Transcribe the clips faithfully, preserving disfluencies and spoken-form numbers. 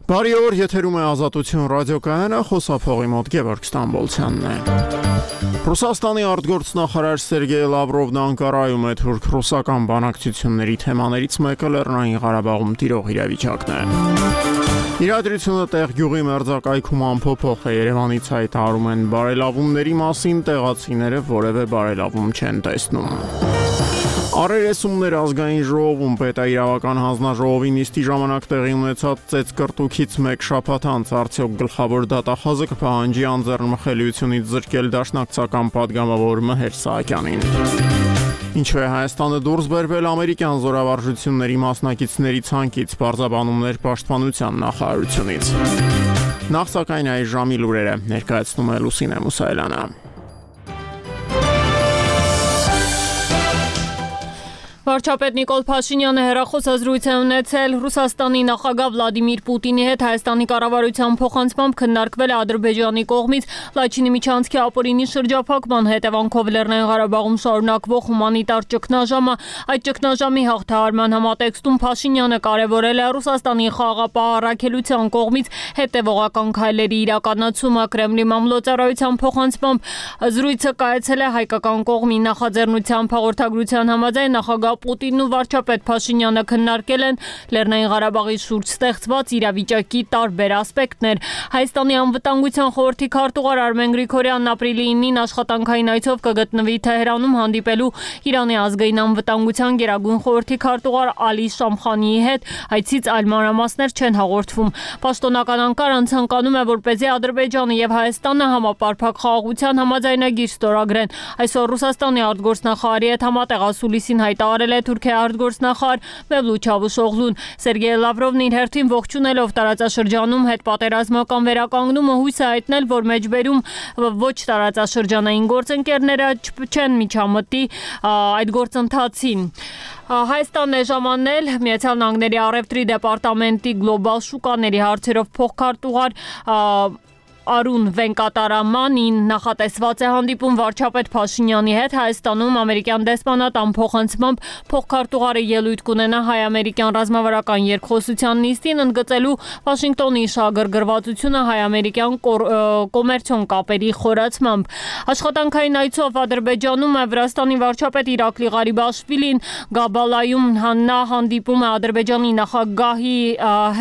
Բարի օր, եթերում է Ազատություն ռադիոկայանը, խոսափողի մոտ Գևորգ Ստամբոլցյանն է։ Ռուսաստանի արտգործնախարար Սերգեյ Լավրովն Անկարայում է թուրք-ռուսական բանակցությունների թեմաներից մեկը Լեռնային Ղարաբաղում տիրող իրավիճակն է։ Իրադրությունը տեղ գյուղի մերձակայքում ամփոփող է, Երևանից հայտարարում են բարելավումների մասին, տեղացիները որևէ բարելավում չեն տեսնում։ Առերեսումներ ազգային ժողովում պետաիրավական հանձնաժողովի նիստի ժամանակ տեղի ունեցած ծեծկռտուքից մեկ շաբաթ անց արդյոք գլխավոր դատախազը կպահանջի անձեռնմխելիությունից զրկել դաշնակցական падգամավոր Մհեր Սահակյանին։ Ինչու է Հայաստանը դուրս բերվել ամերիկյան զորավարժությունների մասնակիցների ցանկից, պարզաբանումներ պաշտպանության նախարարությունից։ Նախ սակայն այս ժամի լուրերը ներկայացնում է Լուսինե Մուսայելյանը։ Վարչապետ Նիկոլ Փաշինյանը հեռախոսազրույց է ունեցել Ռուսաստանի նախագահ Վլադիմիր Պուտինի հետ Հայաստանի կառավարության փոխանցմամբ քննարկվել է Ադրբեջանի կողմից Լաչինի միջանցքի ապօրինի շրջափակման հետևանքով Լեռնային Ղարաբաղում շարունակվող հումանիտար ճգնաժամը։ Այդ ճգնաժամի հաղթահարման համատեքստում Փաշինյանը կարևորել է Ռուսաստանի խաղաղապահ առաքելության կողմից հետևողական քայլերի իրականացումը։ Կրեմլի մամլոյցարայության փոխանցմամբ զրույցը կայացել է հայկական կողմի նախաձեռնությամբ։ Հաղորդագրության համաձայն նախագահ Պուտինն ու վարչապետ Փաշինյանը քննարկել են Լեռնային Ղարաբաղի շուրջ ստեղծված իրավիճակի տարբեր ասպեկտներ։ Հայաստանի անվտանգության խորհրդի քարտուղար Արմեն Գրիգորյանն ապրիլի ինին աշխատանքային այցով կգտնվի Թեհրանում հանդիպելու Իրանի ազգային անվտանգության գերագույն խորհրդի քարտուղար Ալի Շամխանիի հետ։ Այցից այլ մանրամասներ չեն հաղորդվում։ Պաշտոնական Անկարան ցանկանում է, որպեսզի Ադրբեջանը եւ Հայաստանը համապարփակ խաղաղության համաձայնագիր ստորագրեն։ Այսօր Ռուսաստանի արտգործնախարարի հետ համատեղ ասուլիսին հայտարարել է Թուրքիայի արտգործնախարար Մևլութ Չավուշօղլուն։ Սերգեյ Լավրովն իր հերթին ողջունելով տարածաշրջանում հետպատերազմական վերականգնումը հույս է հայտնել, որ մեջբերում ոչ տարածաշրջանային գործընկերները չեն միջամտի այդ գործընթացին։ Հայաստանն է ժամանել Միացյալ Նահանգների առևտրի դեպարտամենտի գլոբալ շուկաների հարցերով փոխքարտուղար Արուն Վենկատարամանին նախատեսված է հանդիպում վարչապետ Փաշինյանի հետ Հայաստանում ամերիկյան դեսպանատան փոխանցմամբ փոխքարտուղարը ելույթ կունենա հայ-ամերիկյան ռազմավարական երկխոսության նիստին, ընդգծելու Վաշինգտոնի շահագրգռվածությունը հայ-ամերիկյան կոմերցիոն կապերի խորացմամբ։ Աշխատանքային այցով Ադրբեջանում է Վրաստանի վարչապետ Իրակլի Ղարիբաշվիլին, Գաբալայում նա հանդիպում է Ադրբեջանի նախագահի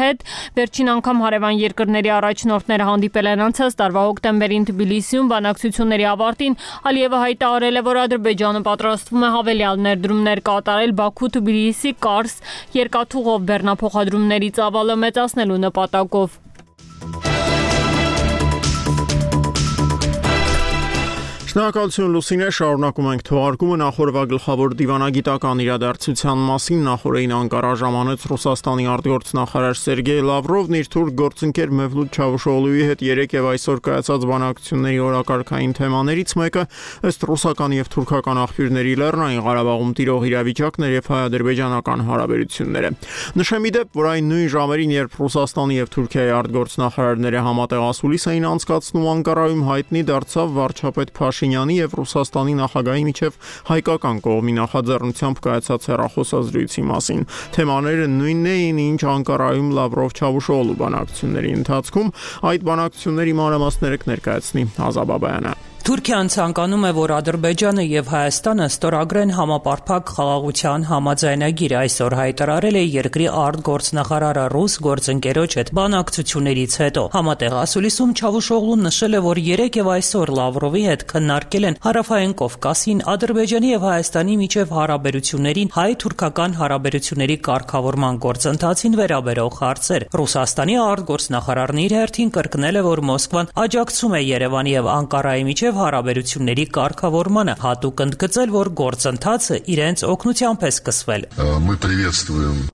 հետ։ Վերջին անգամ հարևան երկրների առաջնորդները հանդիպել են անցած տարվա հոկտեմբերին Թբիլիսիում բանակցությունների ավարտին Ալիևը հայտարարել է, որ Ադրբեջանը պատրաստվում է հավելյալ ներդրումներ կատարել Բաքու-Թբիլիսի Կարս երկաթուղով բեռնափոխադրումների ծավալը մեծացնելու նպատակով։ Շնորհակալություն Լուսինե, շարունակում ենք թողարկումը նախորդ գլխավոր դիվանագիտական իրադարձության մասին։ Նախորդին Անկարա ժամանեց Ռուսաստանի արտգործնախարար Սերգեյ Լավրովն իր թուրք գործընկեր Մևլութ Չավուշօղլուի հետ երեկ եւ այսօր կայացած բանակցությունների օրակարգային թեմաներից մեկը ըստ ռուսական եւ թուրքական աղբյուրների Լեռնային Ղարաբաղում տիրող իրավիճակն էր եւ հայ-ադրբեջանական հարաբերությունները։ Նշեմ ի դեպ, որ այն նույն ժամերին, երբ Ռուսաստանի եւ Թուրքիայի արտգործնախարարները համատեղ ասուլիս էին անցկացնում Անկարայում, հայտնի դարձավ վարչապետ Փաշինյանի եւ Ռուսաստանի նախագահի միջև հայկական կողմի նախաձեռնությամբ կայացած հեռախոսազրույցի մասին։ Թեմաները նույնն էին, ինչ Անկարայում Լավրով-Չավուշօղլու բանակցությունների ընթացքում։ Այդ բանակցությունների մանրամասները կներկայացնի Ազա Բաբայանը։ Թուրքիան ցանկանում է, որ Ադրբեջանը եւ Հայաստանը ստորագրեն համապարփակ խաղաղության համաձայնագիր։ Այսօր հայտարարել է երկրի արտգործնախարարը ռուս գործընկերոջ հետ բանակցություններից հետո։ Համատեղ ասուլիսում Չավուշօղլուն նշել է, որ երեկ եւ այսօր Լավրովի հետ քննարկել են Հարավային Կովկասին Ադրբեջանի եւ Հայաստանի միջև հարաբերություններին հայ-թուրքական հարաբերությունների կարգավորման գործընթացին վերաբերող հարցեր։ Ռուսաստանի արտգործնախարարն իր հերթին կրկնել է, որ Մոսկվան աջակցում է Երևանի եւ Անկարայի միջև հարաբերությունների կարգավորմանը, հատուկ ընդգծել, որ գործընթացը իրենց օգնությամբ է սկսվել։ Мы приветствуем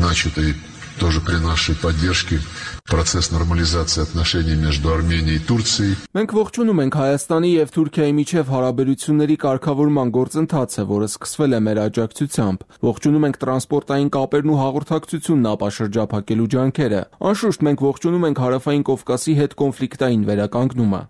начатый тоже при нашей поддержке процесс нормализации отношений между Арменией и Турцией. Մենք ողջունում ենք Հայաստանի եւ Թուրքիայի միջև հարաբերությունների կարգավորման գործընթացը, որը սկսվել է մեր աջակցությամբ։ Ողջունում ենք տրանսպորտային կապերն ու հաղորդակցությունն ապաշրջափակելու ջանքերը։ Անշուշտ մենք ողջունում ենք Հարավային Կովկասի հետ կոնֆլիկտային վերականգնումը։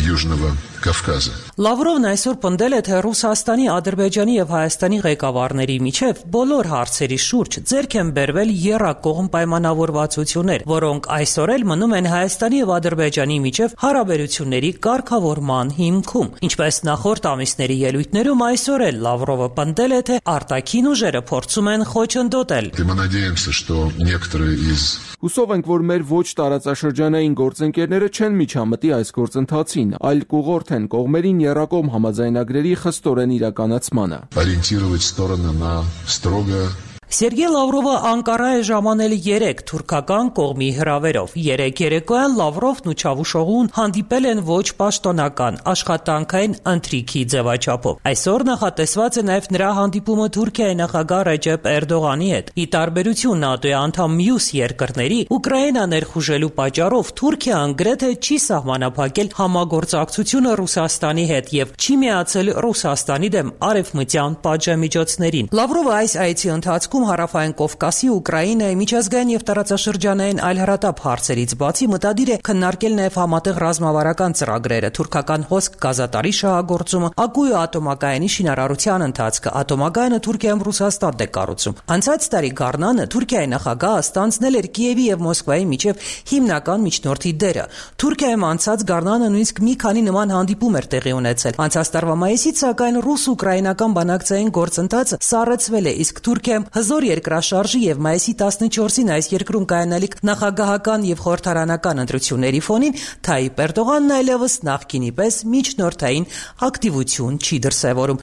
Южного Կովկասը։ Լավրովն այսօր պնդել է, թե Ռուսաստանի, Ադրբեջանի եւ Հայաստանի ղեկավարների միջև բոլոր հարցերի շուրջ ձեռք են բերվել եռակողմ պայմանավորվածություններ, որոնք այսօր էլ մնում են Հայաստանի եւ Ադրբեջանի միջև հարաբերությունների կարգավորման հիմքում։ Ինչպես նախորդ ամիսների ելույթներում, այսօր էլ Լավրովը պնդել է, թե արտաքին ուժերը փորձում են խոչընդոտել։ Мы надеемся, что некоторые из Հուսով ենք, որ մեր ոչ տարածաշրջանային գործընկերները չեն միջամտի այս գործընթացին, այլ կուղղորդեն կողմերին եռակողմ համաձայնագրերի խստորեն իրականացմանը։ ориентировать стороны на строго Սերգեյ Լավրովը Անկարա է ժամանել երեք թուրքական կողմի հրավերով։ Երեք երեկոյան Լավրովն ու Չավուշօղլուն հանդիպել են ոչ պաշտոնական աշխատանքային ընթրիքի ձևաչափով։ Այսօր նախատեսված է նաև նրա հանդիպումը Թուրքիայի նախագահ Ռեջեփ Էրդողանի հետ։ Ի տարբերություն ՆԱՏՕ-ի անդամ մյուս երկրների, Ուկրաինա ներխուժելու պատճառով Թուրքիան գրեթե չի սահմանափակել համագործակցությունը Ռուսաստանի հետ եւ չի միացել Ռուսաստանի դեմ արևմտյան պատժամիջոցներին։ Լավրովը այս այցի ընթացքում Հարավային Կովկասի, Ուկրաինայի, միջազգային եւ տարածաշրջանային այլ հարատապ հարցերից բացի մտադիր է քննարկել նաեւ համատեղ ռազմավարական ծրագրերը, թուրքական հոսք գազատարի շահագործումը, Ակույո ատոմակայանի շինարարության ընթացքը, ատոմակայանը Թուրքիայում Ռուսաստանն է կառուցում։ Անցած տարի գարնանը Թուրքիայի նախագահը ստանձնել էր Կիևի եւ Մոսկվայի միջև հիմնական միջնորդի դերը։ Թուրքիայում անցած գարնանը նույնիսկ մի քանի նման հանդիպում էր տեղի ունեցել։ Անցած տարվա մայիսից սակայն ռուս-ուկրաինական բանակցային գործընթացը սառեցվել է, իսկ Թուրքիայում հզոր երկրաշարժի եւ մայիսի տասնչորսին այս երկրում կայանալիք նախագահական եւ խորհրդարանական ընտրությունների ֆոնին Թայիպ Էրդողանն այլևս նախկինի պես միջնորդային ակտիվություն չի դրսևորում։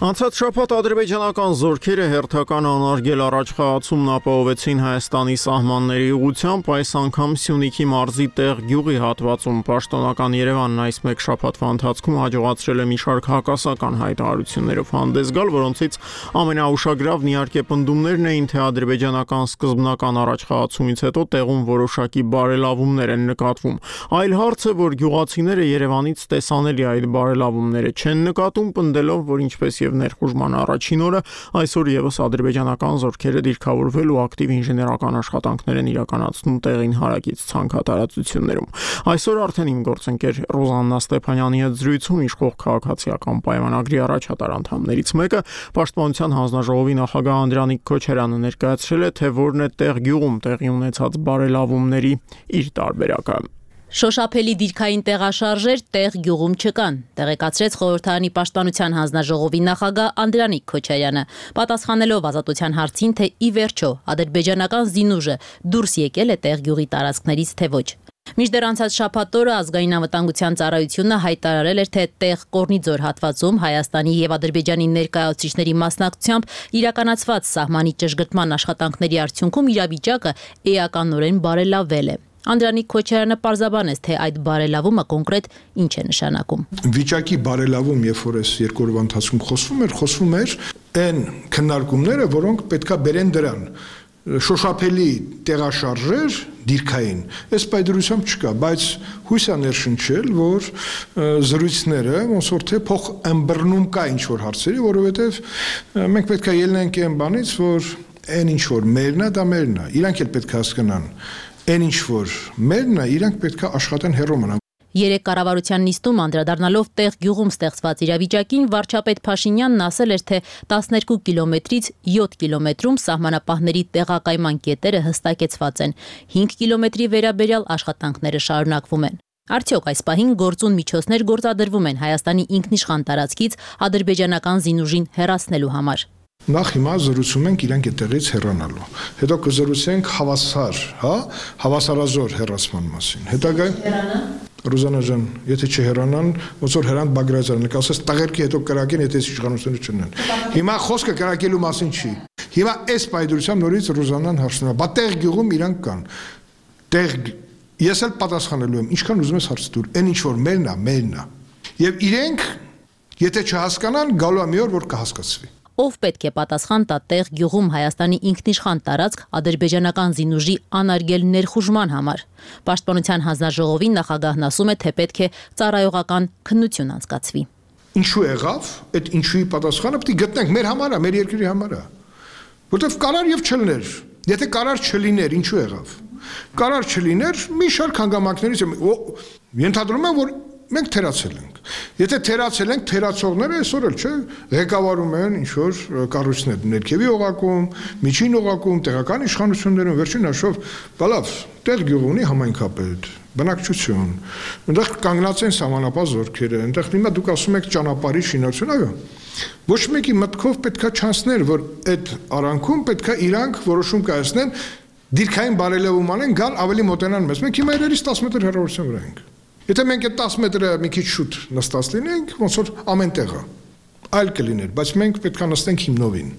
Անցած շաբաթ ադրբեջանական զորքերը հերթական անարգել առաջխաղացումն ապահովեցին Հայաստանի սահմանների ուղղությամբ, այս անգամ Սյունիքի մարզի Տեղ գյուղի հատվածում պաշտոնական Երևանն այս մեկ շաբաթվա ընթացքում հաջողացրել է մի շարք հակասական հայտարարություններով հանդես գալ, որոնցից ամենաուշագրավն իհարկե պնդումներն էին, թե ադրբեջանական սկզբնական առաջխաղացումից հետո տեղում որոշակի բարելավումներ են նկատվում։ Այլ հարց է, որ գյուղացիները Երևանից տեսանելի այդ բարելավումները չեն նկատում, պնդելով, որ ինչպես եւ ներխուժման առաջին օրը այսօր եւս ադրբեջանական զորքերը դիրքավորվել ու ակտիվ ինժեներական աշխատանքներ են իրականացնում տեղին հարակից ցանքատարածություններում։ Այսօր արդեն իմ գործընկեր Ռոզաննա Ստեփանյանի հետ զրույցում իշխող քաղաքացիական պայմանագրի առաջատար անդամներից մեկը Պաշտպանության հանձնաժողովի նախագահ Անդրանիկ Քոչարյանը ներկայացրել է, թե որն է Տեղ գյուղում տեղի ունեցած բարելավումների իր տարբերակը։ Շոշափելի դիրքային տեղաշարժեր Տեղ գյուղում չկան, տեղեկացրեց խորհրդարանի պաշտպանության հանձնաժողովի նախագահ Անդրանիկ Քոչարյանը, պատասխանելով ազատության հարցին, թե ի վերջո ադրբեջանական զինուժը դուրս եկել է Տեղ գյուղի տարածքներից, թե ոչ։ Մինչդեռ անցած շաբաթ օրը ազգային անվտանգության ծառայությունը հայտարարել էր, թե Տեղ Կորնիձոր հատվածում Հայաստանի եւ Ադրբեջանի ներկայացուցիչների մասնակցությամբ իրականացված սահմանի ճշգրտման աշխատանքների արդյունքում իրավիճակը էականորեն բարելավվել է։ Անդրանիկ Քոչարյանը պարզաբանեց, թե այդ բարելավումը կոնկրետ ինչ է նշանակում։ Վիճակի բարելավում, երբ որ այս երկու օրվա ընթացքում խոսվում էր, խոսվում էր այն քննարկումները, որոնք պետքա բերեն դրան։ Շոշափելի տեղաշարժեր դիրքային, այս պայդրությամբ չկա, բայց հույս է ներշնչել, որ զրույցները ոնց որ թե փոխ ըմբռնում կա ինչ որ հարցերի, որովհետև մենք պետքա ելնենք այն բանից, որ այն ինչ որ մերն է, դա մերն է, իրանք էլ պետք է հասկանան։ Այն ինչ որ մերն է, իրանք պետք է աշխատեն հեռու մնան։ Երեք կառավարության նիստում անդրադառնալով Տեղ գյուղում ստեղծված իրավիճակին վարչապետ Փաշինյանն ասել էր, թե տասներկու կիլոմետրից յոթ կիլոմետրում սահմանապահների տեղակայման կետերը հստակեցված են, հինգ կիլոմետրի վերաբերյալ աշխատանքները շարունակվում են։ Արդյոք այս պահին գործուն միջոցներ գործադրվում են Հայաստանի ինքնիշխան տարածքից ադրբեջանական զինուժին հեռացնելու համար։ Նախ հիմա զրուցում ենք իրանք այդտեղից հեռանալու։ Հետո կզրուցենք հավասար, հա, հավասարազոր հեռացման մասին։ Հետագայում Ռուզանա ջան, եթե չհեռանան, ոնց որ Հրանտ Բագրատյանը կասես տղերքի հետո կրակեն, եթե իշխանությունները չունեն։ Հիմա խոսքը կրակելու մասին չի։ Հիմա այս պայդրությամբ նորից Ռուզանան հարցնում է, բա Տեղ գյուղում իրանք կան։ Տեղ ես էլ պատասխանելու եմ, ինչքան ուզում ես հարց տուր, այն ինչ որ մերն է, մերն է։ Եվ իրենք, եթե չհասկանան, գալու է մի օր, որ կհասկացվի։ Ով պետք է պատասխան տա Տեղ գյուղում Հայաստանի ինքնիշխան տարածք ադրբեջանական զինուժի անարգել ներխուժման համար։ Պաշտպանության հանձնաժողովի նախագահն ասում է, թե պետք է ծառայողական քննություն անցկացվի։ Ինչու եղավ, այդ ինչուի պատասխանը պետք է գտնենք մեր համար, մեր երկրի համար։ Որտեվ կարար եւ չլներ։ Եթե կարար չլիներ, ինչու եղավ։ Կարար չլիներ, մի շարք հանգամանքներից ենթադրում եմ, որ մենք թերացել ենք։ Եթե թերացել ենք, թերացողները այսօր էլ չէ, ղեկավարում են ինչ որ կառույցներ, ներքևի օղակում, միջին օղակում, տեղական իշխանություններում, վերջին հաշվով, բալավ, տեղ գյուղ ունի համայնքապետ, բնակչություն, այնտեղ կանգնած են սահմանապահ զորքերը, այնտեղ հիմա դուք ասում եք ճանապարհի շինարարություն, այո։ Ոչ մեկի մտքով պետքա չանցներ, որ այդ արանքում պետքա իրանք որոշում կայացնեն, դիրքային բարելավում անեն, գալ ավելի մոտենան մեզ։ Մենք հիմա իրերից տասը մետր հեռավորության վրա ենք։ Եթե մենք այդ տասը մետրը մի քիչ շուտ նստած լինենք, ոնց որ ամեն տեղը այլ կլիներ, բայց մենք պետք է նստենք հիմնովին։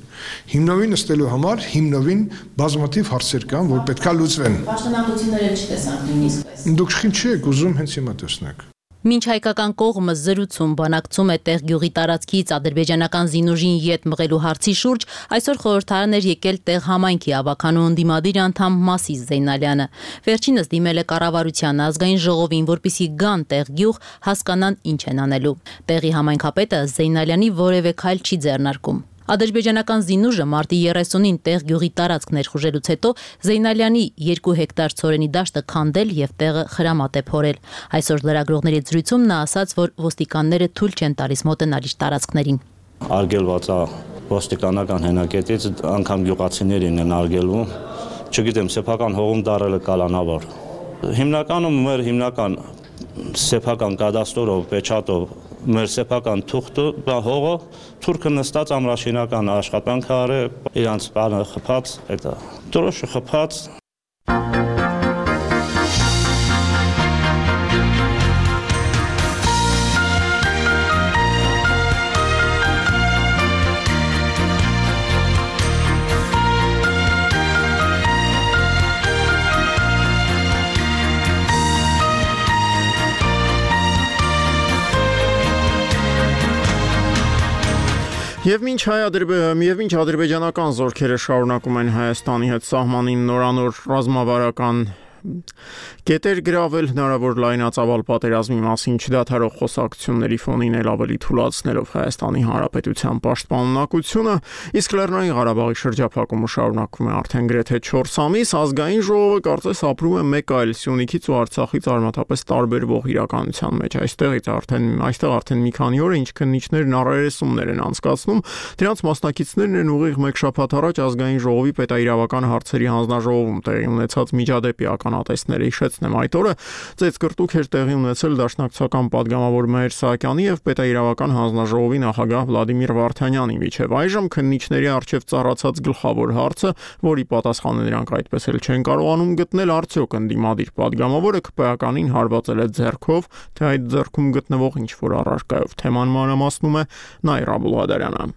Հիմնովին նստելու համար հիմնովին բազմաթիվ հարցեր կան, որ պետք է լուծվեն։ Պաշտոնանկությունները չտեսանք նույնիսկ այս։ Դուք ինչ եք ուզում հենց հիմա տեսնեք։ Մինչ հայկական կողմը զրուցում բանակցում է տեղ գյուղի տարածքից ադրբեջանական զինուժին յետ մղելու հարցի շուրջ, այսօր խորհրդարան էր եկել տեղ համայնքի ավականու ընդդիմադիր անդամ Մասիս Զեյնալյանը։ Վերջինս դիմել է կառավարության ազգային ժողովին, որպեսզի գան տեղ գյուղ, հասկանան ինչ են անելու։ Տեղի համայնքապետը Զեյնալյանի որևէ քայլ չի ձեռնարկում։ Ադրբեջանական զինուժը մարտի երեսունին տեղ գյուղի տարածք ներխուժելուց հետո Զեյնալյանի երկու հեկտար ցորենի դաշտը քանդել եւ տեղը խրամատ է փորել։ Այսօր լրագրողների զրույցում նա ասաց, որ ոստիկանները թույլ չեն տալիս մոտենալ իր տարածքներին։ Արգելված է ոստիկանական հենակետից, անգամ գյուղացիներին են արգելվում։ Չգիտեմ, սեփական հողում դարելը կալանավոր։ Հիմնականում մեր հիմնական սեփական կադաստրով, պեչատով մեր սեփական թուղթը, հողը, թուրքը նստած ամրաշինական աշխատանք արե, իրանց բանը խփած, դա դրոշը խփած։ Եվ մինչ եւ մինչ ադրբեջանական զորքերը շարունակում են Հայաստանի հետ սահմանին նորանոր ռազմավարական կետեր գրավել, հնարավոր լայնածավալ պատերազմի մասին չդադարող խոսակցությունների ֆոնին էլ ավելի թուլացնելով Հայաստանի Հանրապետության պաշտպանունակությունը, իսկ Լեռնային Ղարաբաղի շրջափակումը շարունակվում է արդեն գրեթե չորս ամիս, ազգային ժողովը կարծես ապրում է մեկ այլ Սյունիքից ու Արցախից արմատապես տարբերվող իրականության մեջ։ Այստեղից արդեն այստեղ արդեն մի քանի օր ինչ քննիչներն առերեսումներ են անցկացնում, դրանց մասնակիցներն են ուղիղ մեկ շաբաթ առաջ ազգային ժողովի պետաիրավական հարցերի հանձնաժողովում տեղի ունեցած միջադեպի ականատեսները հիշեցնեմ այդ օրը ծեծկրտուք էր տեղի ունեցել դաշնակցական падգամավոր Մհեր Սահակյանի եւ պետաիրավական հանձնաժողովի նախագահ Վլադիմիր Վարդանյանի միջև այժմ քննիչների արչեւ ծառացած գլխավոր հարցը, որի պատասխանը նրանք այդպես էլ չեն կարողանում գտնել, արդյոք ընդդիմադիր падգամավորը ԿՊ-ականին հարվածել է ձեռքով, թե այդ ձեռքում գտնվող ինչ որ առարկայով։ Թեման մանրամասնում է Նաիրա Աբուլղադարյանը։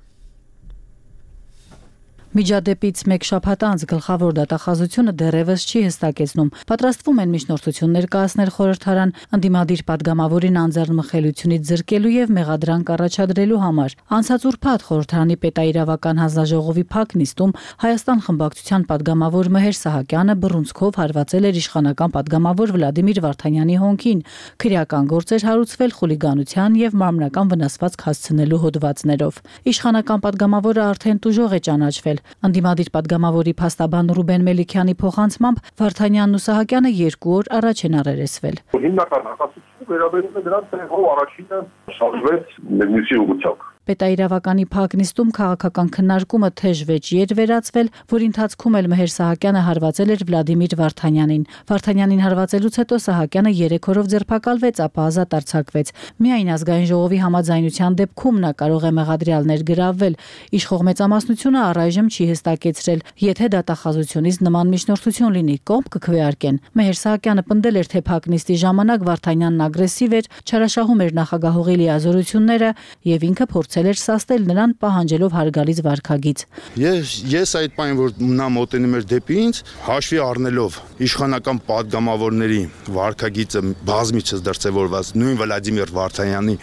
Միջադեպից մեկ շաբաթ անց գլխավոր դատախազությունը դեռևս չի հստակեցնում։ Պատրաստվում են միջնորդություններ կայացնել խորհրդարան ընդդիմադիր падգամավորին անձեռնմխելիությունից զրկելու եւ մեղադրանք առաջադրելու համար։ Անցած ուրբաթ խորհրդարանի պետաիրավական հանձնաժողովի փակ նիստում Հայաստան խմբակցության падգամավոր Մհեր Սահակյանը բռունցքով հարվածել էր իշխանական падգամավոր Վլադիմիր Վարդանյանի հոնքին։ Քրեական գործ էր հարուցվել խուլիգանության եւ մարմնական վնասվածք հասցնելու հոդվածներով։ Իշխանական падգամավորը արդեն տուժող է ճանաչվել։ Ընդդիմադիր падգամավորի փաստաբան Ռուբեն Մելիքյանի փոխանցմամբ Վարդանյանն ու Սահակյանը երկու օր առաջ են առերեսվել։ Հիմնական հակասությունը վերաբերում է դրանց, թե ով առաջինը շարժվեց մեկնիսի ուղղությամբ։ Պետաիրավականի փակ նիստում քաղաքական քննարկումը թեժ վեճի էր վերածվել, որի ընթացքում էլ Մհեր Սահակյանը հարվածել էր Վլադիմիր Վարդանյանին։ Վարդանյանին հարվածելուց հետո Սահակյանը երեք օրով ձերբակալվեց, ապա ազատ արձակվեց։ Միայն ազգային ժողովի համաձայնության դեպքում նա կարող է մեղադրյալներ գրավել։ Իշխող մեծամասնությունը առայժմ չի հստակեցրել, եթե դատախազությունից նման միջնորդություն լինի, կողմ կքվեարկեն։ Մհեր Սահակյանը պնդել էր, թե փակ նիստի ժամանակ Վարդանյանն ագրեսիվ էր, չարաշահում էր նախագահողի լիազորությունները եւ ինքը փորձել էր սաստել նրան պահանջելով հարգալից վարքագիծ։ Ես ես այդ բանը որ նա մոտենում էր դեպի ինձ, հաշվի առնելով իշխանական падգամավորների վարքագիծը բազմիցս դրսևորված նույն Վլադիմիր Վարդանյանի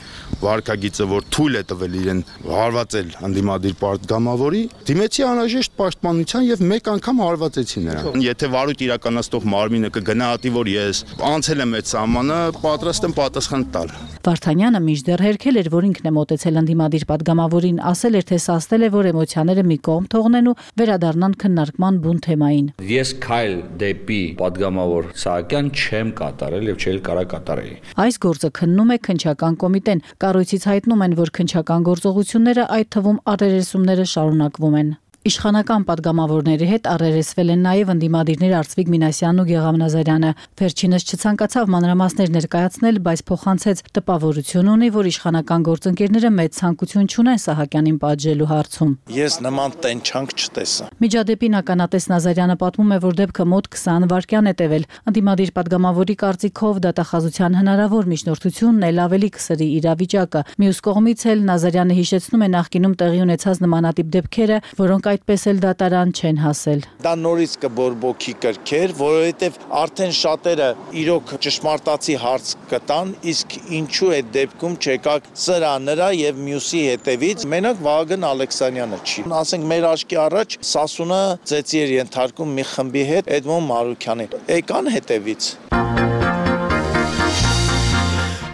վարքագիծը, որ թույլ է տվել իրեն հարվածել ընդդիմադիր падգամավորի, դիմեցի անհրաժեշտ պաշտպանության եւ մեկ անգամ հարվածեցի նրան։ Եթե վարույթ իրականացնող մարմինը կգնահատի, որ ես անցել եմ այդ սահմանը, պատրաստ եմ պատասխան տալ։ Վարդանյանը մինչդեռ հերքել էր, որ ինքն է մոտեցել ընդդիմադիր պատգամավորին, ասել էր, թե սաստել է, որ էմոցիաները մի կողմ թողնեն ու վերադառնան քննարկման բուն թեմային։ Ես քայլ դեպի պատգամավոր Սահակյան չեմ կատարել եւ չել կարա կատարել։ Այս գործը քննում է քննչական կոմիտեն։ Կառույցից հայտնում են, որ քննչական գործողությունները, այդ թվում առերեսումները շարունակվում են։ Իշխանական պատգամավորների հետ առերեսվել են նաև ընդդիմադիրներ Արծվիկ Մինասյանն ու Գեգամ Նազարյանը։ Վերջինս չցանկացավ մանրամասներ ներկայացնել, բայց փոխանցեց տպավորություն ունի, որ իշխանական գործընկերները մեծ ցանկություն չունեն Սահակյանին պատժելու հարցում։ Ես նման տենչանք չտեսա։ Միջադեպին ականատես Նազարյանը պատմում է, որ դեպքը մոտ քսան վայրկյան է տևել։ Ընդդիմադիր պատգամավորի կարծիքով դատախազության հնարավոր միջնորդությունն էլ ավելի կսրի իրավիճակը։ Մյուս կողմից էլ Նազարյանը հիշեցնում է նախկինում տեղի ունեցած նմանատիպ դեպքերը, որոնք այդպես էլ դատարան չեն հասել։ Դա նորից կբորբոքի կրքեր, որովհետև արդեն շատերը իրոք ճշմարտացի հարց կտան, իսկ ինչու այդ դեպքում չեկակ սրա նրա եւ մյուսի հետևից, մենակ Վահագն Ալեքսանյանը չի։ Ասենք մեր աչքի առաջ Սասունը ծեծի էր ենթարկում մի խմբի հետ Էդմոն Մարուքյանին։ Եկան հետևից։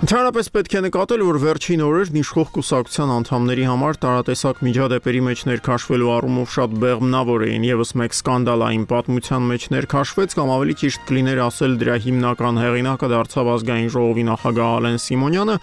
Ընդհանրապես պետք է նկատել, որ վերջին օրերն իշխող կուսակցության անդամների համար տարատեսակ միջադեպերի մեջ ներքաշվելու առումով շատ բեղմնավոր էին, եւս մեկ սկանդալային պատմության մեջ ներքաշվեց, կամ ավելի ճիշտ կլիներ ասել դրա հիմնական հեղինակը դարձավ ազգային ժողովի նախագահ Ալեն Սիմոնյանը։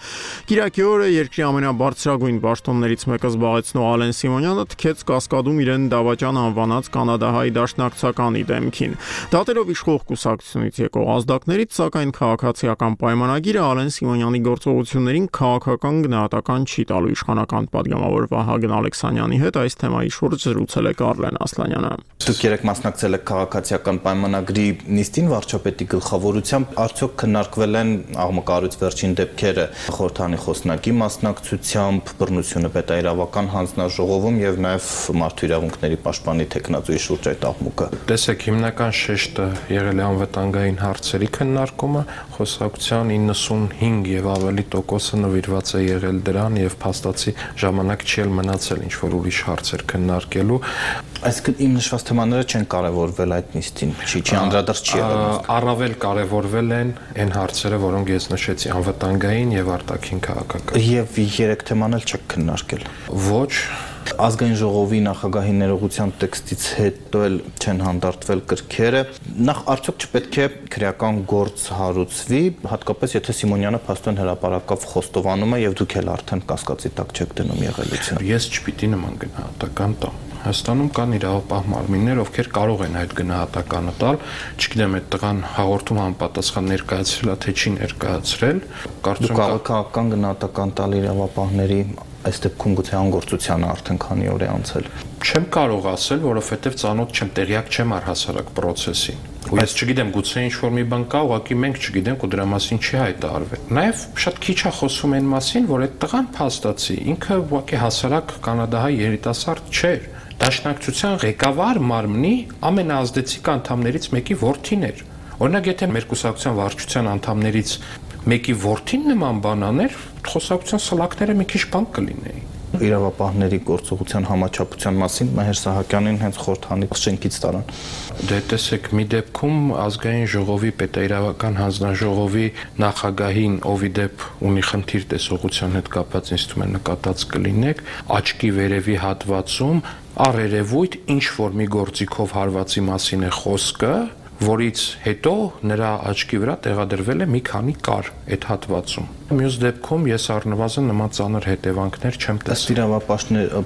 Կիրակի օրը երկրի ամենաբարձրագույն պաշտոններից մեկը զբաղեցնող Ալեն Սիմոնյանը թքեց Կասկադում իրեն դավաճան անվանած կանադահայ դաշնակցականի դեմքին։ Դատելով իշխող կուսակցությունից եկող ազդակներից, սակայն քաղաքացիական պայմանագիրը Ալեն Սիմոնյանի գործողություններին քաղաքական գնահատական չի տալու իշխանական պատգամավոր Վահագն Ալեքսանյանի հետ այս թեմայի շուրջ զրուցել է Կարլեն Ասլանյանը։ Դուք երեք մասնակցել եք քաղաքացիական պայմանագրի նիստին վարչապետի գլխավորությամբ, արդյոք քննարկվել են աղմկարույց վերջին դեպքերը խորհրդանի խոսնակի մասնակցությամբ, բռնությունը պետաիրավական հանձնաժողովում եւ նաեւ մարդու իրավունքների պաշտպանի տեխնազոյի շուրջ այդ աղմուկը։ Տեսեք, հիմնական շեշտը եղել է անվտանգային հարցերի քննարկումը, խոսակցության իննսունհինգ եւ ավելի տոկոսը նվիրված է եղել դրան եւ փաստացի ժամանակ չի էլ մնացել ինչ որ ուրիշ հարցեր քննարկելու։ Այսինքն իմ նշված թեմաները չեն կարևորվել այդ նիստին, չի չի անդրադարձ չի եղել։ Առավել կարևորվել են այն հարցերը, որոնք ես նշեցի, անվտանգային եւ արտաքին քաղաքական։ Եվ երեք թեման էլ չեք քննարկել։ Ոչ, ազգային ժողովի նախագահի ներողության տեքստից հետո էլ չեն հանդարտվել կրքերը։ Նախ արդյոք չպետք է քրեական գործ հարուցվի, հատկապես եթե Սիմոնյանը փաստորեն հրապարակավ խոստովանում է եւ դուք էլ արդեն կասկածի տակ չեք դնում եղելությունը։ Ես չպիտի նման գնահատական տամ։ Հայաստանում կան իրավապահ մարմիններ, ովքեր կարող են այդ գնահատականը տալ, չգիտեմ, այդ տղան հաղորդում համապատասխան ներկայացրել է, թե չի ներկայացրել, կարծում եմ քաղաքական գնահատական տալ իրավապահների այս դեպքում գուցե անգործությանը արդեն քանի օր է անցել։ Չեմ կարող ասել, որովհետև ծանոթ չեմ, տեղյակ չեմ առհասարակ process-ին։ Ու ես չգիտեմ, գուցե ինչ-որ մի բան կա, ուղղակի մենք չգիտենք ու դրա մասին չի հայտարարվել։ Նաև շատ քիչ է խոսում այն մասին, որ այդ տղան փաստացի ինքը ուղղակի հասարակ կանադահայ երիտասարդ չէր։ Դաշնակցության ղեկավար մարմնի ամենաազդեցիկ անդամներից մեկի որդին էր։ Օրինակ, եթե մեր կուսակցության վարչության անդամներից մեկի որդին նման բան աներ, խոսակցության սլակները մի քիչ բան կլինեին։ Իրավապահների գործողության համաչափության մասին Մհեր Սահակյանին հենց խորհրդանի շենքից տարան։ Դե տեսեք, մի դեպքում ազգային ժողովի պետաիրավական հանձնաժողովի նախագահին, ով ի դեպ ունի խնդիր տեսողության հետ կապված, ինձ թվում է նկատած կլինեք, աչքի վերևի հատվածում առերևույթ ինչ որ մի գործիքով հարվածի մասին է խոսքը, որից հետո նրա աչքի վրա տեղադրվել է մի քանի կար այդ հատվածում։ Մյուս դեպքում ես առնվազն նման ծանր հետևանքներ չեմ տեսել։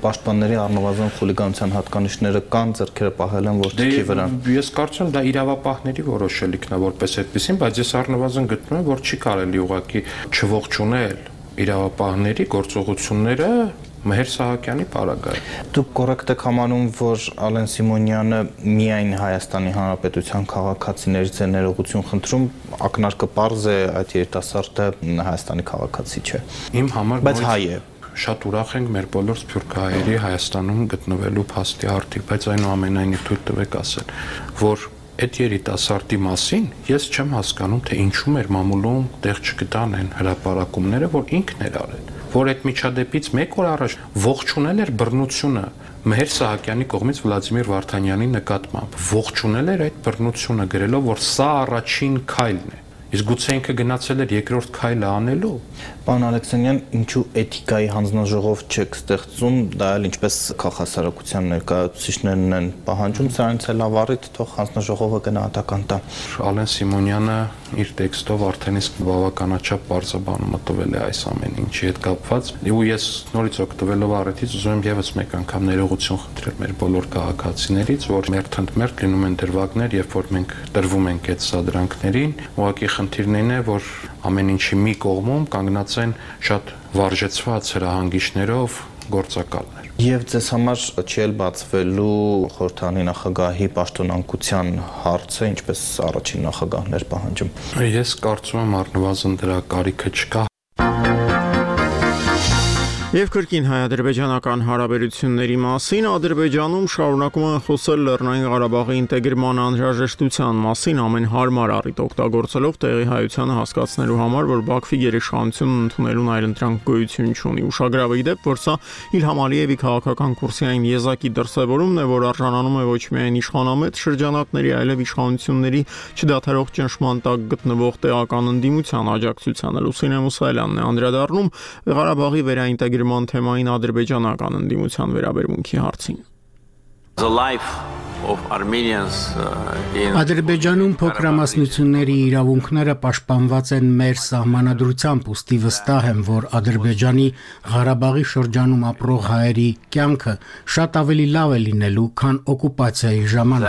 Պաշտպանների առնվազն խուլիգանության հատկանիշները կան, ձեռքերը պահել են որ թքի վրա։ Ես կարծում եմ դա իրավապահների որոշելիքն է որպես այդպեսին, բայց ես առնվազն գտնում եմ, որ չի կարելի ուղղակի չողջունել իրավապահների գործողությունները Մհեր Սահակյանի պարագայում։ Դուք կոռեկտ եք համարում, որ Ալեն Սիմոնյանը միայն Հայաստանի Հանրապետության քաղաքացիներից է ներողություն խնդրում, ակնարկը պարզ է, այդ երիտասարդը Հայաստանի քաղաքացի չէ։ Իմ համար բայց հայ է։ Շատ ուրախ ենք մեր բոլոր սփյուռքահայերի Հայաստանում գտնվելու փաստի արդիվ, բայց այնուամենայնիվ թույլ տվեք ասել, որ այդ երիտասարդի մասին ես չեմ հասկանում, թե ինչու մեր մամուլում տեղ չգտան այն հրապարակումները, որ ինքն էր արել, որ այդ միջադեպից մեկ օր առաջ ողջունել էր բռնությունը Մհեր Սահակյանի կողմից Վլադիմիր Վարդանյանի նկատմամբ, ողջունել էր այդ բռնությունը, գրելով, որ սա առաջին քայլն է։ Իսկ գուցե ինքը գնացել էր երկրորդ քայլը անելու։ Պարոն Ալեքսանյան, ինչու էթիկայի հանձնաժողով չեք ստեղծում, դա էլ ինչպես քաղաքասարակության ներկայացուցիչներն են պահանջում, սրանից էլ ավառիթ թող հանձնաժողովը գնահատական տա։ Ալեն Սիմոնյանը իր տեքստով արդեն իսկ բավականաչափ բարձրաբանում մտվել է այս ամեն ինչի հետ կապված, ու ես նորից օգտվելով առիթից ուզում եմ եւս մեկ անգամ ներողություն խնդրել մեր բոլոր քաղաքացիներից, որ մերթ ընդմերթ լինում են դրվագներ, երբ որ մենք տրվում ենք այդ սադրանքներին, ուղղակի խնդիրն է, որ ամեն ինչի մի կողմում կանգնած են շատ վարժեցված հրահանգիչներով գործակալներ։ Եվ ձեզ համար չի էլ բացվելու խորհրդանի նախագահի պաշտոնանկության հարցը, ինչպես առաջին նախագահներ պահանջում։ Ես կարծում եմ առնվազն դրա կարիքը չկա։ Եվ կրկին հայ-ադրբեջանական հարաբերությունների մասին Ադրբեջանում շարունակում են խոսել Լեռնային Ղարաբաղի ինտեգրման անհրաժեշտության մասին, ամեն հարմար առիթ օգտագործելով տեղի հայությանը հասկացնելու համար, որ Բաքվի գերեշխանությունն ընդունելուն այլընտրանք գոյություն չունի։ Ուշագրավ է ի դեպ, որ սա Իլհամ Ալիևի քաղաքական կուրսային եզակի դրսևորումն է, որ արժանանում է ոչ միայն իշխանամետ շրջանակների, այլև իշխանությունների չդադարող ճնշման տակ գտնվող տեղական ընդդիմության աջակցությանը։ Լուսինե Մուսայելյանն է անդրադառնում Ղարաբաղի վերաինտեգրման թեմային ադրբեջանական ընդդիմության վերաբերմունքի հարցին։ Ադրբեջանում փոքրամասնությունների իրավունքները պաշտպանված են մեր սահմանադրությամբ, ուստի վստահ եմ, որ Ադրբեջանի Ղարաբաղի շրջանում ապրող հայերի կյանքը շատ ավելի լավ է լինելու, քան օկուպացիայի ժամանակ։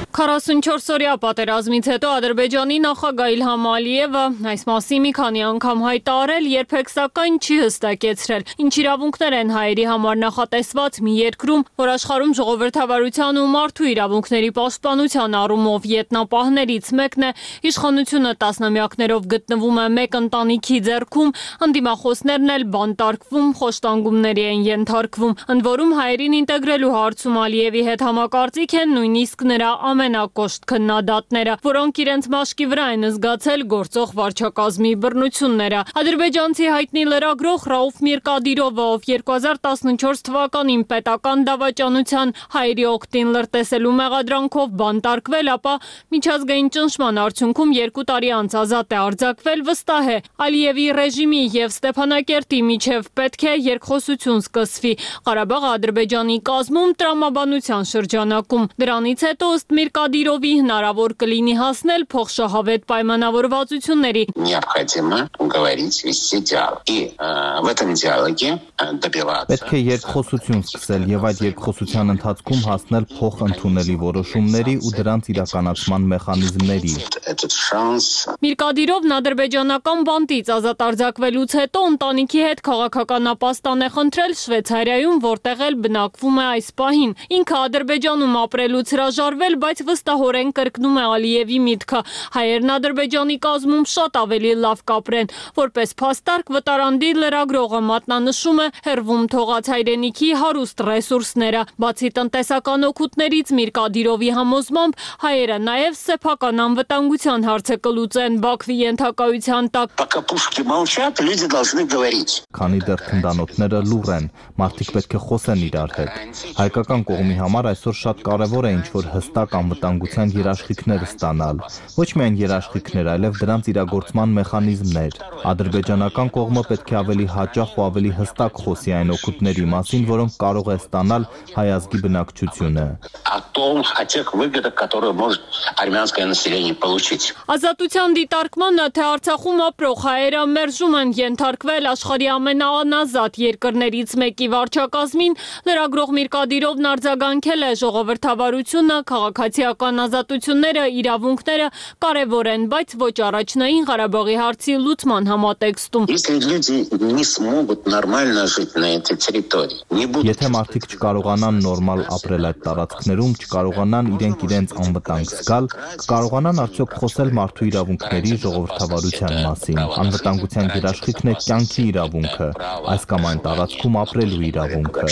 քառասունչորս-օրյա պատերազմից հետո Ադրբեջանի նախագահ Իլհամ Ալիևը այս մասին մի քանի անգամ հայտարարել, երբեք սակայն չի հստակեցրել, ինչ իրավունքներ են հայերի համար նախատեսված մի երկրում, որ աշխարհում ժողովրդավարության ու մարդու իրավունքների պաշտպանության առումով ետնապահներից մեկն է, իշխանությունը տասնամյակներով գտնվում է մեկ ընտանիքի ձեռքում, ընդդիմախոսներն էլ բանտարկվում, խոշտանգումների են ենթարկվում, ընդ որում հայերին ինտեգրելու հարցում Ալիևի հետ համակարծիք են նույնիսկ նրա ամենակոշտ քննադատները, որոնք իրենց մաշկի վրա են զգացել գործող վարչակազմի բռնությունները։ Ադրբեջանցի հայտնի լրագրող Ռաուֆ Միրկադիրովը, ով երկու հազար տասնչորս թվականին պետական դավաճանության հայերի օգտին լրտեսելու մեղադրանքով բանտարկվել, ապա միջազգային ճնշման արդյունքում երկու տարի անց ազատ է արձակվել, վստահ է Ալիևի ռեժիմի եւ Ստեփանակերտի միջև պետք է երկխոսություն սկսվի։ Ղարաբաղը Ադրբեջանի կազմում տրամաբանության շրջանակում։ Դրանից հետո ըստ Միրկադիրովի հնարավոր կլինի հասնել փոխշահավետ պայմանավորվածությունների։ Պետք է երկխոսություն սկսել եւ այդ երկխոսության ընթացքում հասնել փոխընդունելի որոշումների ու դրանց իրականացման մեխանիզմների։ Միրկադիրովն ադրբեջանական բանտից ազատ արձակվելուց հետո ընտանիքի հետ քաղաքական ապաստան է խնդրել Շվեյցարիայում, որտեղ էլ բնակվում է այս պահին։ Ինքը Ադրբեջանում ապրելուց հրաժարվել, բայց վստահորեն կրկնում է Ալիևի միտքը։ Հայերն Ադրբեջանի կազմում շատ ավելի լավ կապրեն։ Որպես փաստարկ վտարանդի լրագրողը մատնանշում է հերվում թողած հայրենիքի հարուստ ռեսուրսները։ Բացի տնտեսական օգուտներից Միրկադիրովի համոզմամբ հայերը նաև սեփական անվտանգության հարցը կլուծեն Բաքվի ենթակայության տակ։ Քանի դեռ թնդանոթները լուռ են, մարդիկ պետք է խոսեն իրար հետ։ Հայկական կողմի համար այսօր շատ կարևոր է ինչ-որ հստակ անվտանգության երաշխիքներ ստանալ, ոչ միայն երաշխիքներ, այլև դրանց իրագործման մեխանիզմներ։ Ադրբեջանական կողմը պետք է ավելի հաճախ ու ավելի հստակ խոսի այն օգուտների մասին, որոնք կարող է ստանալ հայ ազգի բնակչությունը։ Ազատության դիտարկմանը, թե Արցախում ապրող հայերը մերժում են ենթարկվել աշխարհի ամենաանազատ երկրներից մեկի վարչակազմին, լրագրող Միրկադիրովն արձագանքել է ժողովրդավարությունը, քաղաքացիական ազատությունները, իրավունքները կարևոր են, բայց ոչ առաջնային Ղարաբաղի հարցի լուծման համատեքստում։ Եթե մարդիկ չկարողանան նորմալ ապրել այդ տարածքներում, չկարողանան իրենք իրենց անվտանգ զգալ, կկարողանան արդյոք խոսել մարդու իրավունքների, ժողովրդավարության մասին։ Անվտանգության երաշխիքն է կյանքի իրավունքը, այս կամ այն տարածքում ապրելու իրավունքը։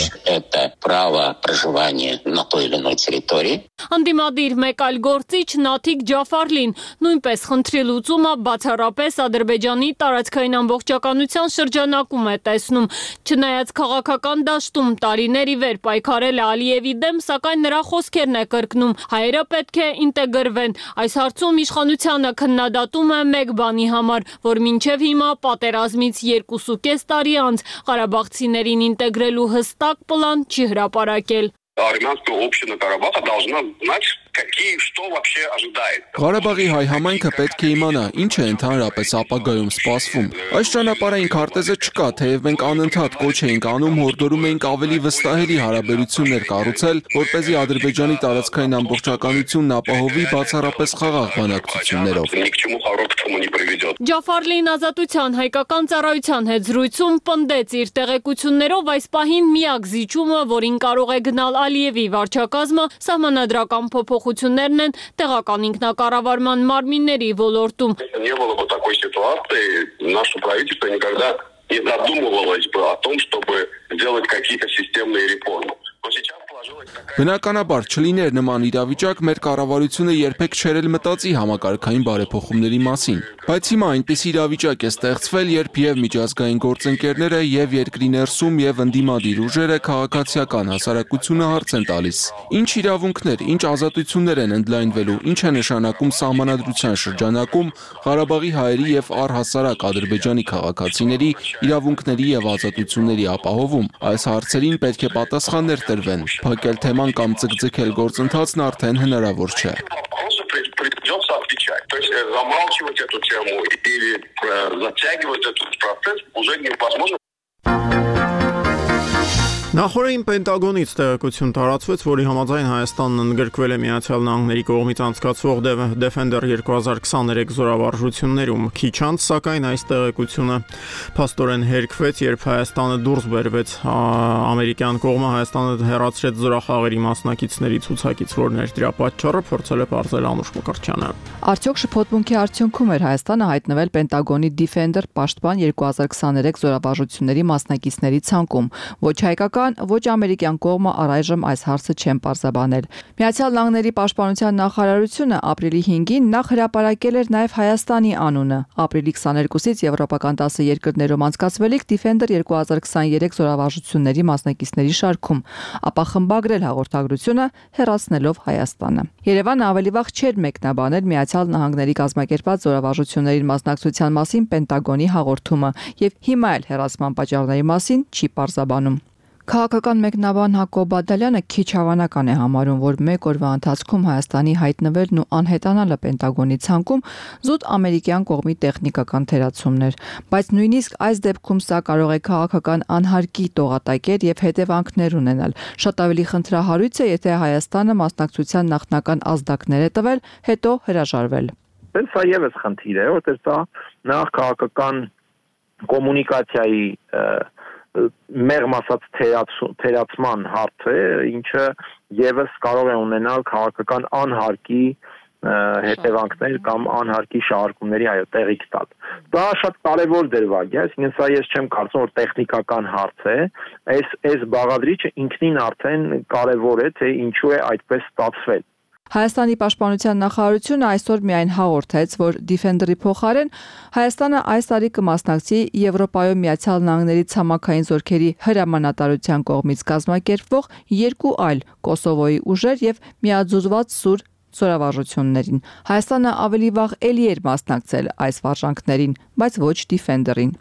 право проживания на той или иной территории. Անդիմադիր մեկ այլ գործիչ Նաթիկ Ջաֆարլին նույնպես խնդրի լուծումը բացառապես Ադրբեջանի տարածքային ամբողջականության շրջանակում է տեսնում։ Չնայած քաղաքական դաշտում տարիներ ի վեր պայքարել է Ալիևի դեմ, սակայն նրա խոսքերն է կրկնում. հայերը պետք է ինտեգրվեն։ Այս հարցում իշխանությանը քննադատում է մեկ բանի համար, որ մինչև հիմա պատերազմից երկուսուկես տարի անց ղարաբաղցիներին ինտեգրելու հստակ պլան չի հրապարակել։ Армянская община Карабаха должна знать, какие, что вообще ожидает. Ղարաբաղի հայ համայնքը պետք է իմանա, ինչ է ընդհանրապես ապագայում սպասվում։ Այս ճանապարհային քարտեզը չկա, թեև մենք անընդհատ կոչ էինք անում, հորդորում էինք ավելի վստահելի հարաբերություններ կառուցել, որպեսզի Ադրբեջանի տարածքային ամբողջականությունն ապահովի բացառապես խաղաղ բանակցություններով։ Ջաֆարլին Ազատության հայկական ծառայության հետ զրույցում պնդեց իր տեղեկություններով այս պահին միակ զիջումը, որին կարող է գնալ Ալիևի վարչակազմը, սահմանադրական փոփոխություններն են տեղական ինքնակառավարման մարմինների ոլորտում։ Не было бы такой ситуации, наше правительство никогда не задумывалось бы о том, чтобы сделать какие-то системные реформы. Но сейчас Բնականաբար չլիներ նման իրավիճակ, մեր կառավարությունը երբեք չէր էլ մտածի համակարգային բարեփոխումների մասին։ Բայց հիմա այնպես իրավիճակ է ստեղծվել, երբ եւ միջազգային գործընկերները եւ երկրի ներսում եւ ընդդիմադիր ուժերը քաղաքացիական հասարակությունը հարց են տալիս. Ինչ իրավունքներ, ինչ ազատություններ են ընդլայնվելու, ինչ է նշանակում սահմանադրության շրջանակում Ղարաբաղի հայերի եւ առհասարակ Ադրբեջանի քաղաքացիների իրավունքների եւ ազատությունների ապահովում։ Այս հարցերին պետք է պատասխաններ տրվեն։ Փակել թեման կամ ձգձգել գործընթացն արդեն հնարավոր չէ։ Придется отвечать. То есть замалчивать эту тему или затягивать этот процесс уже невозможно. Նախորդին Պենտագոնից տեղեկություն տարածվեց, որի համաձայն Հայաստանն ընդգրկվել է Միացյալ Նահանգների կողմից անցկացվող Defender երկու հազար քսաներեք զորավարժություններում։ Քիչ անց, սակայն այս տեղեկությունը փաստորեն հերքվեց, երբ Հայաստանը դուրս բերվեց ամերիկյան կողմը Հայաստանը հեռացրեց զորախաղերի մասնակիցների ցուցակից, որն էր դրա պատճառը, փորձել է պարզել Անուշ Մկրտչյանը։ Արդյոք շփոթմունքի արդյունքում էր Հայաստանը հայտնվել Պենտագոնի Defender պաշտպան երկու հազար քսաներեք զորավարժությունների մասնակիցների ցանկում։ Ոչ հայկական, ոչ ամերիկյան կողմը առայժմ այս հարցը չեն պարզաբանել։ Միացյալ Նահանգների պաշտպանության նախարարությունը ապրիլի հինգին նախ հրապարակել էր նաև Հայաստանի անունը։ Ապրիլի քսաներկուսից եվրոպական տասը երկրներում անցկացվելիք Defender երկու հազար քսաներեք զորավարժությունների մասնակիցների շարքում, ապա խմբագրել հաղորդագրությունը հեռացնելով Հայաստանը։ Երևանը ավելի վաղ չէր մեկնաբանել Միացյալ Նահանգների կազմակերպած զորավարժություններին մասնակցության մասին Պենտագոնի հաղորդումը եւ հիմա էլ հեռացման պատճառների մասին չի պարզաբանում։ Քաղաքական մեկնաբան Հակոբ Բադալյանը քիչ հավանական է համարում, որ մեկ օրվա ընթացքում Հայաստանի հայտնվելն ու անհետանալը Պենտագոնի ցանկում զուտ ամերիկյան կողմի տեխնիկական թերացումներ, բայց նույնիսկ այս դեպքում սա կարող է քաղաքական անհարկի տողատակեր եւ հետևանքներ ունենալ։ Շատ ավելի խնդրահարույց է, եթե Հայաստանը մասնակցության նախնական ազդակներ է տվել, հետո հրաժարվել։ Սա եւս խնդիր է, որտեղ սա նախ քաղաքական կոմունիկացիայի մեղմ ասած թերացման հարց է, ինչը եւս կարող է ունենալ քաղաքական անհարկի հետևանքներ կամ անհարկի շահարկումների այո տեղիք տալ։ Դա շատ կարևոր դրվագ է, այսինքն սա ես չեմ կարծում, որ տեխնիկական հարց է, այս այս բաղադրիչը ինքնին արդեն կարևոր է, թե ինչու է այդպես ստացվել։ Հայաստանի պաշտպանության նախարարությունը այսօր միայն հաղորդեց, որ Defender-ի փոխարեն Հայաստանը այս տարի կմասնակցի Եվրոպայում Միացյալ Նահանգների ցամաքային զորքերի հրամանատարության կողմից կազմակերպվող երկու այլ Կոսովոյի ուժեր եւ միաձուլված սուր զորավարժություններին։ Հայաստանը ավելի վաղ էլի էր մասնակցել այս վարժանքներին, բայց ոչ Defender-ին։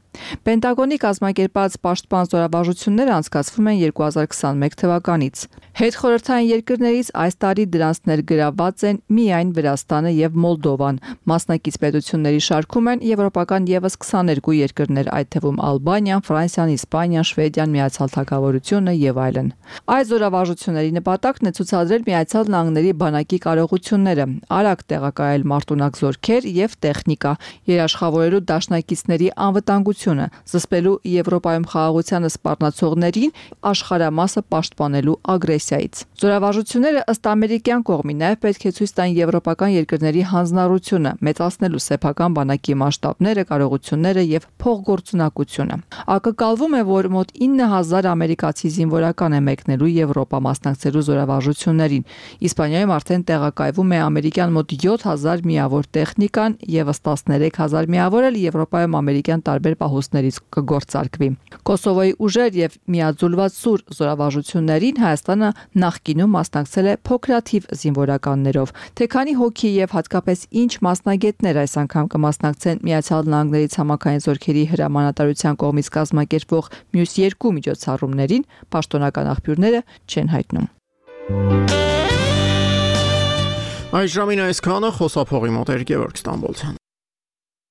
Պենտագոնի կազմակերպած պաշտպան զորավարժությունները անցկացվում են երկու հազար քսաներեք թվականից։ Հետխորհրդային երկրներից այս տարի դրանց ներգրավված են միայն Վրաստանը եւ Մոլդովան։ Մասնակից պետությունների շարքում են եվրոպական եւս քսաներկու երկրներ, այդ թվում Ալբանիան, Ֆրանսիան, Իսպանիան, Շվեդիան, Միացյալ Թագավորությունը եւ այլն։ Այս զորավարժությունների նպատակն է ցուցադրել Միացյալ Նահանգների բանակի կարողությունները, արագ տեղակայել մարտունակ զորքեր եւ տեխնիկա, երաշխավորելու դաշնակիցների անվտանգությունը զորավարժությունը, զսպելու Եվրոպայում խաղաղությանը սպառնացողներին, աշխարհամասը պաշտպանելու ագրեսիայից։ Զորավարժությունները ըստ ամերիկյան կողմի նաև պետք է ցույց տան եվրոպական երկրների հանձնառությունը, մեծացնելու սեփական բանակի մասշտաբները, կարողությունները եւ փոխգործունակությունը։ Ակնկալվում է, որ մոտ ինը հազար ամերիկացի զինվորական է մեկնելու Եվրոպա մասնակցելու զորավարժություններին։ Իսպանիայում արդեն տեղակայվում է ամերիկյան մոտ յոթ հազար միավոր տեխնիկան, եւս տասներեք հազար միավոր էլ Եվրոպայում ամերիկյան տարբեր պահոստներից կգործարկվի։ Կոսովոյի ուժեր եւ միաձուլված սուր զորավարժություններին Հայաստանը նախկինում մասնակցել է փոքրաթիվ զինվորականներով։ Թե քանի հոգի եւ հատկապես ինչ մասնագետներ այս անգամ կմասնակցեն Միացյալ Նահանգների ցամաքային զորքերի հրամանատարության կողմից կազմակերպվող մյուս երկու միջոցառումներին, պաշտոնական աղբյուրները չեն հայտնում։ Այս ժամին այսքանը, խոսափողի մոտ էր Գևորգ Ստամբոլցյան։